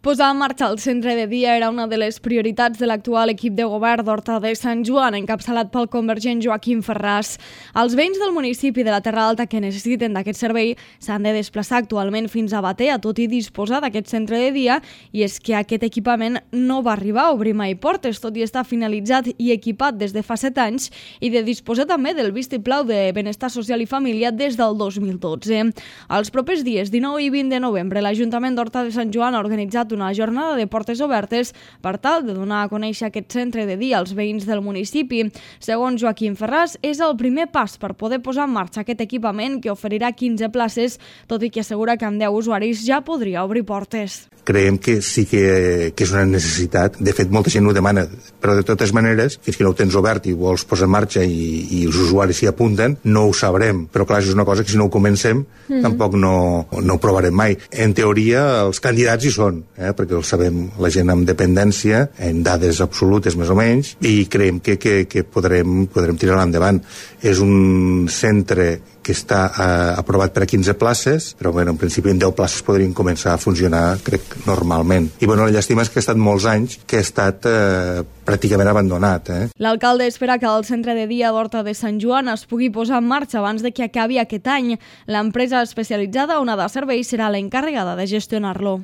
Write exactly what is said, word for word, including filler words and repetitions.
Posar en marxa el centre de dia era una de les prioritats de l'actual equip de govern d'Horta de Sant Joan, encapçalat pel convergent Joaquim Ferràs. Els veïns del municipi de la Terra Alta que necessiten d'aquest servei s'han de desplaçar actualment fins a Batea, tot i disposar d'aquest centre de dia, i és que aquest equipament no va arribar a obrir mai portes, tot i estar finalitzat i equipat des de fa set anys, i de disposar també del vistiplau de benestar social i família des del dos mil dotze. Els propers dies dinou i vint de novembre, l'Ajuntament d'Horta de Sant Joan ha organitzat una jornada de portes obertes per tal de donar a conèixer aquest centre de dia als veïns del municipi. Segons Joaquim Ferràs, és el primer pas per poder posar en marxa aquest equipament que oferirà quinze places, tot i que assegura que amb deu usuaris ja podria obrir portes. Creiem que sí que, que és una necessitat. De fet, molta gent ho demana, però de totes maneres, fins que no ho tens obert i vols posar en marxa i, i els usuaris s'hi apunten, no ho sabrem. Però clar, és una cosa que si no ho comencem, mm. tampoc no, no ho provarem mai. En teoria, els candidats hi són, eh, perquè ho sabem la gent amb dependència, en dades absolutes més o menys, i creiem que, que, que podrem, podrem tirar endavant. És un centre que està eh, aprovat per a quinze places, però bueno, en principi en deu places podrien començar a funcionar, crec, normalment. I bueno, la llàstima és que ha estat molts anys que ha estat eh, pràcticament abandonat. Eh? L'alcalde espera que el centre de dia d'Horta de Sant Joan es pugui posar en marxa abans de que acabi aquest any. L'empresa especialitzada Onada Serveis serà l'encarregada de gestionar-lo.